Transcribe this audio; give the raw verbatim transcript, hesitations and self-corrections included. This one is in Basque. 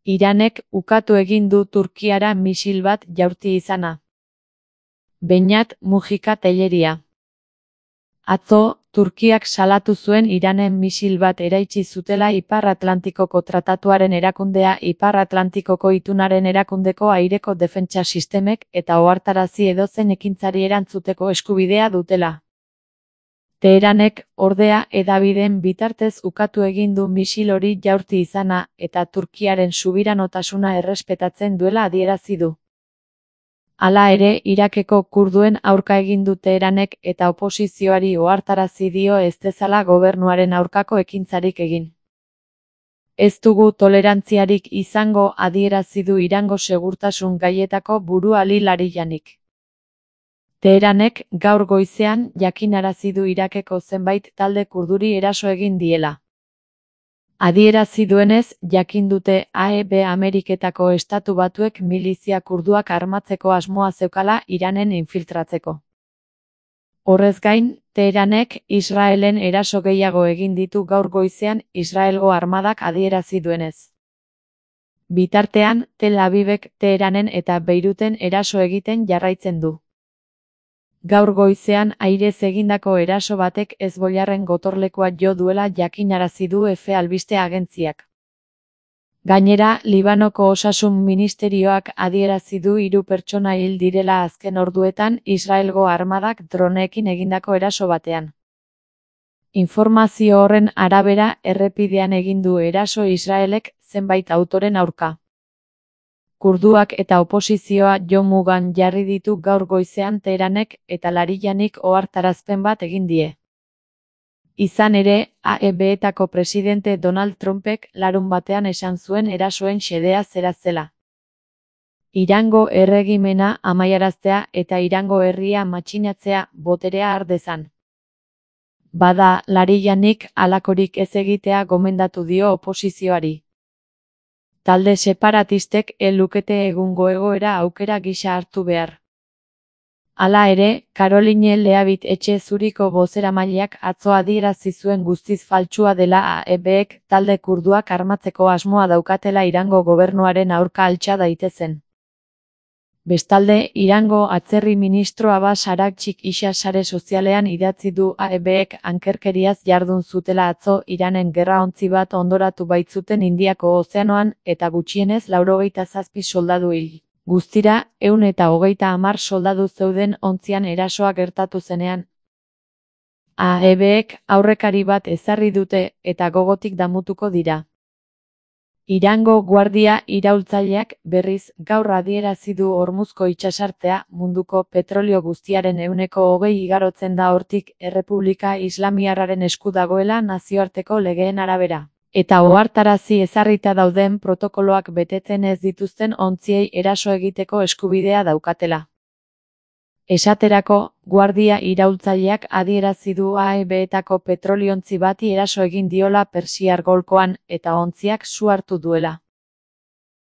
Iranek ukatu egin du Turkiara misil bat jaurti izana. Beñat Mujika Telleria. Atzo, Turkiak salatu zuen Iranen misil bat eraitsi zutela Ipar Atlantikoko Tratatuaren erakundea Ipar Atlantikoko itunaren erakundeko aireko defentsa sistemek eta ohartarazi edozein ekintzari erantzuteko eskubidea dutela. Teheranek, ordea, hedabideen bitartez ukatu egin du misil hori jaurti izana eta Turkiaren subiranotasuna errespetatzen duela adierazi du. Hala ere, Irakeko kurduen aurka egin du Teheranek eta oposizioari ohartarazi dio ez dezala gobernuaren aurkako ekintzarik egin. Ez dugu tolerantziarik izango adierazi du Irango segurtasun gaietako buru Ali Larijanik. Teheranek gaur goizean jakinarazi du Irakeko zenbait talde kurduri eraso egin diela. Adierazi duenez, jakin dute A E B Ameriketako Estatu Batuek milizia kurduak armatzeko asmoa zeukala Iranen infiltratzeko. Horrez gain, Teheranek Israelen eraso gehiago egin ditu gaur goizean Israelgo armadak adierazi duenez. Bitartean, Tel Avivek Teheranen eta Beiruten eraso egiten jarraitzen du. Gaur goizean airez egindako eraso batek Hezbollarren gotorlekua jo duela jakinarazi du Efe albiste agentziak. Gainera, Libanoko Osasun Ministerioak adierazi du hiru pertsona hil direla azken orduetan Israelgo armadak droneekin egindako eraso batean. Informazio horren arabera, errepidean egin du eraso Israelek zenbait autoren aurka. Kurduak eta oposizioa jo mugan jarri ditu gaur goizean Teheranek eta Larijanik ohartarazpen bat egin die. Izan ere, A E B-etako presidente Donald Trumpek larun batean esan zuen erasoen xedea zera zela. Irango erregimena amaiaraztea eta Irango herria matxinatzea boterea har dezan. Bada, Larijanik halakorik ez egitea gomendatu dio oposizioari. Talde separatistek ez lukete egungo egoera aukera gisa hartu behar. Hala ere, Caroline Leavitt etxe zuriko bozeramaileak atzo adierazi zuen guztiz faltsua dela A E Bek talde kurduak armatzeko asmoa daukatela Irango gobernuaren aurka altxa daitezen. Bestalde, Irango atzerri ministro Abbas Araghchik isa sare sozialean idatzi du A E Bek ankerkeriaz jardun zutela atzo Iranen gerraontzi bat ondoratu baitzuten Indiako ozeanoan eta gutxienez laurogeita zazpi soldadu hil. Guztira, ehun eta hogeita hamar soldadu zeuden ontzian erasoa gertatu zenean. A E Bek aurrekari bat ezarri dute eta gogotik damutuko dira. Irango guardia iraultzaileak berriz gaur adierazi du Hormuzko itsasartea munduko petrolio guztiaren ehuneko hogei igarotzen da hortik Errepublika Islamiarraren esku dagoela nazioarteko legeen arabera. Eta ohartarazi ezarrita dauden protokoloak betetzen ez dituzten ontziei eraso egiteko eskubidea daukatela. Esaterako, guardia iraultzaileak adierazi du A E B-etako petroliontzi bati eraso egin diola Persiar golkoan eta ontziak su hartu duela.